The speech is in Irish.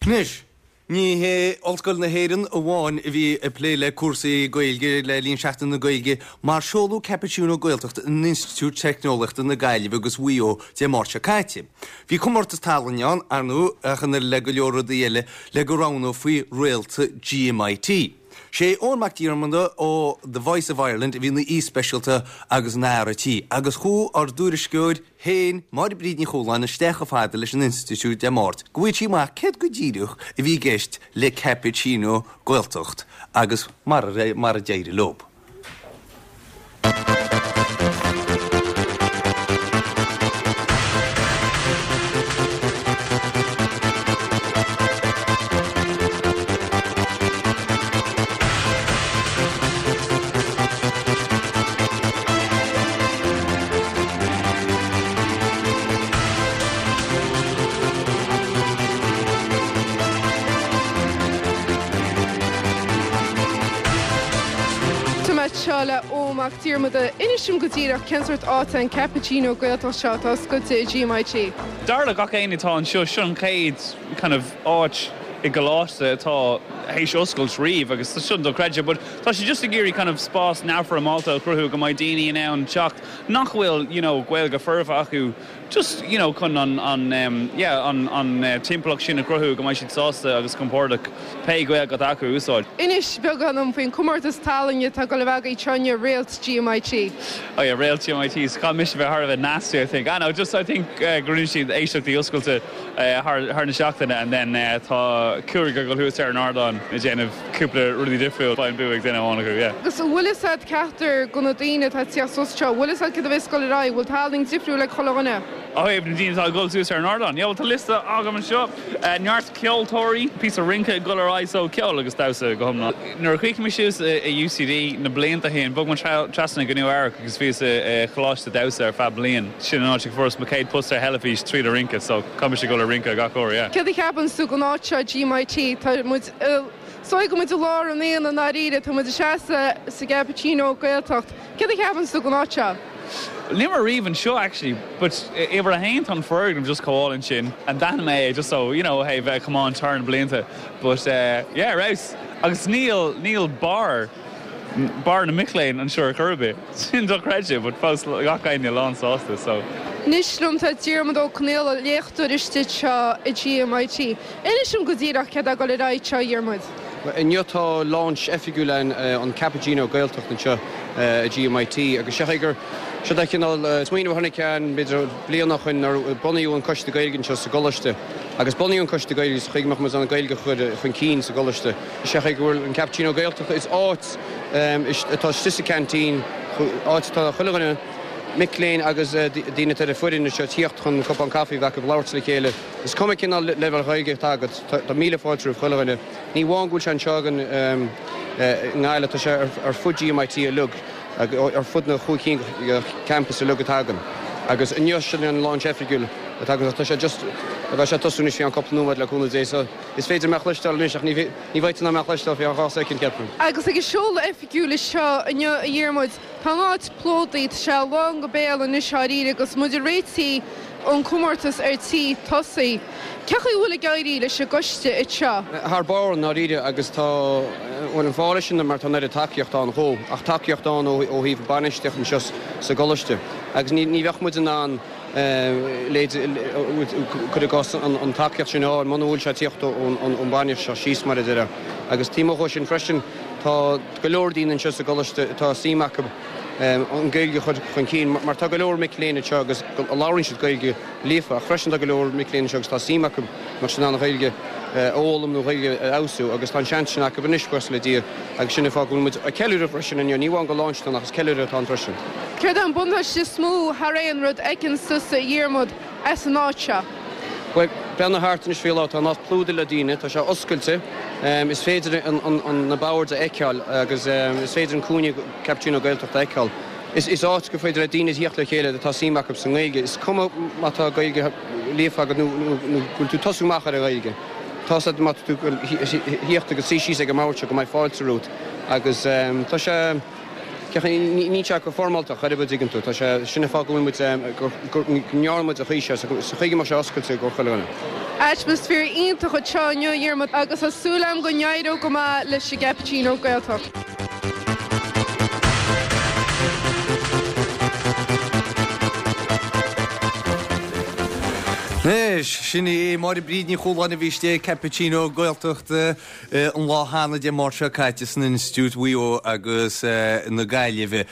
Anois, ní hé Ollscoil na hÉireann amháin a bhí ag plé le cúrsaí Gaeilge le linn Seachtain na Gaeilge mar seoladh Cappuccino Gaeltacht in Institiúid Teicneolaíochta na Gaillimhe agus Mhaigh Eo Dé Máirt seo caite. Bhí comórtas tallainne ann, ar ndóigh, ach an oiread le go leor rudaí eile le go roghnófaí réalta GMIT. Sé Eoin Mac Diarmada ó The Voice of Ireland a bhí ina aoi speisialta agus ina fhear an tí agus chuaigh ár dtuairisceoir, féin, Máire Bríd Ní Chualáin, isteach chomh fada leis an institiúid Dé Máirt go bhfaigheadh sí amach céard go díreach a bhí i gceist le Cappuccino Gaeltacht agus mar a d'éirigh leo. Tá mé anseo le Eoin Mac Diarmada. Inis dom go díreach cén sórt áit é an Cappuccino Gaeltacht seo atá oscailte i GMIT? Dar le gach éinne atá anseo, seo an chéad kind of áit i gcoláiste atá théis oscailt riamh agus tá sin dochreidte but tá sé just ag iarraidh kind of spás neamhfhoirmeálta a chruthú go mbeidh daoine in ann teacht nach bhfuil you know Gaeilge foirfe acu just you know chun an an em yeah an an timpeallacht sin a chruthú go mbeidh siad sásta agus compordach pé Gaeilge atá acu a úsáid. Inis beagán dom faoin comórtas tallainne atá ag dul a bheith agaibh anseo inniu, Réalt GMIT. Oh yeah, Réalt GMIT, so caithfidh mise bheith thar a bheith nasty I think. Ah no, just I think go rinne siad éisteachtaí oscailte thar na seachtaine and then tá cúigear ag dul thuas ar an ardán ag déanamh cúpla rudaí difriúil, beidh an bua ag duine amháin acu, yeah. Agus an bhfuil fhios a'd ceachtar de na daoine atá ag tíocht suas anseo, an bhfuil fhios a'd céard a bheas ag dul ar aghaidh, bhfuil tallann difriúil ag chuile dhuine? Ó thaobh na daoine atá ag dul suas ar an ardán, yeah bhuel tá liosta agam anseo, neart ceoltóirí, píosa rince ag dul ar aghaidh so ceol agus damhsa go hiomlán. Nuair a chríochnaigh mé suas i UCD na blianta ó shin, bhog mé trasna go Nua Eabhrac agus bhíos i choláiste damhsa ar feadh bliain. Sin an áit a fuaireas mo chéad post ar theilifís tríd an rince so caithfidh mise dul ag rince gach uair, yeah. Céard a cheapanns tú den áit seo, GMIT? Tá muid i, is dóigh go bhfuil muid i lár an aonaigh i ndáiríre, tá muid ag seasamh sa gCappuccino Gaeltacht. Céard a cheapanns tú den áit seo? Níl mé riamh anseo actually but uimhir a haon tá an foirgneamh just chomh álainn sin and d'aithin mé é just so you know hey bheith ag tiomáint thar na blianta but yeah ar fheabhas agus níl níl barr barr na mic léinn anseo ar chor ar bith sin dochreidte but fós gach éinne lán sásta so. Anois liom tá Diarmuid Ó Conaola, léachtóir istigh anseo i GMIT. Inis dom go díreach céard atá ag dul ar aghaidh anseo, a Dhiarmuid. Inniu tá launch oifigiúil ann an Cappuccino Gaeltacht anseo i GMIT agus seo gur seo é cineál smaoineamh a tháinig ann b'fhéidir bliain ó shoin nuair a bunaíodh an Coiste Gaeilge anseo sa gcoláiste agus bunaíodh an Coiste Gaeilge sa chaoi go mbeadh muid in ann an Ghaeilge a chur chun cinn sa gcoláiste. Is é go bhfuil an Cappuccino Gaeltacht is áit atá istigh sa canteen, áit atá chuile dhuine, mic léinn agus daoine atá ar an foireann anseo tíocht chun cupán caife a bheith acu, labhairt le chéile. Is cuma cén leibhéal Ghaeilge atá agat, tá míle fáilte roimh chuile dhuine. Ní amháin go bhfuil sé anseo againn i nGaillimh, tá sé ar fud GMIT uilig, ar fud na chúig cinn de campus uilig atá againn. Agus inniu sin an launch oifigiúil atá againn, tá sé just, beidh sé ag tosú anois faoi cheann cúpla nóiméad le cúnamh Dé. So is féidir mé a chloisteáil anois ach ní bheidh tú in ann mé a chloisteáil faoi cheann 2 soicind, ceapaim. Agus ag an seoladh oifigiúil seo inniu, a Dhiarmuid, Tá an áit plódaithe, tá sé lán go béal anois dháiríre agus muid ag réití an comórtas ar tí tosaí. Cén chaoi a bhfuil ag éirí leis an gcoiste anseo? Thar barr i ndáiríre agus tá, bhuel an fáth leis sin mar tá an oiread tacaíocht ann dhó, ach tacaíocht ann ó thaobh bainistíocht anseo sa gcoláiste agus ní bheadh muid in ann cuir i gcás an tacaíocht sin a fháil muna bhfuil sé ag tíocht ón bhainistíocht síos mar a déarfá. Agus taobh amuigh dhó sin freisin tá go leor daoine anseo sa gcoláiste atá suim acu an Ghaeilge a chur chun cinn mar tá go leor mic léinn anseo agus labhraíonn siad Gaeilge líofa ach freisin tá go leor mic léinn anseo agus tá suim acu mar sin an Ghaeilge a fhoghlaim nó Ghaeilge a fheabhsú agus tá an seans sin acu anois buíochas le Dia agus sin an fáth go bhfuil muid ag ceiliúradh freisin inniu, ní amháin gur launch atá ann ach is ceiliúradh atá ann freisin. Céard é an buntáiste is mó thar aon rud a fheiceann tusa, a Dhiarmuid, as an áit seo? Bhuel, breathnaigh thart anois faoi láthair, tá an áit plódaithe le daoine, tá sé oscailte, is féidir na boird a fheiceáil agus is féidir an cúinne Cappuccino Gaeltacht a fheiceáil. Is áit gur féidir le daoine tíocht le chéile atá suim acu sa nGaeilge. Is cuma má tá Gaeilge líofa agat nó go bhfuil tú ag tosú amach ar an Ghaeilge. Tá's agat má tá tú ag tíocht agus suí síos ag an mbord seo go mbeidh fáilte romhat agus tá sé. Níl sé go foirmeálta chor ar bith, an dtuigeann tú. Tá sé, sin an fáth go bhfuil muid, go ndearna muid an chaoi seo, sa chaoi go mbeadh sé oscailte i gcomhair chuile dhuine. Atmaisféar iontach anseo inniu, a Dhiarmuid, agus tá súil agam go n-éireoidh go maith leis an gCappuccino Gaeltacht. Anois, sin í Máire Bríd Ní Chualáin a bhí istigh ag Cappuccino Gaeltacht an lá cheana Dé Máirt seo caite san Institiúid Mhaigh Eo agus na Gaillimhe.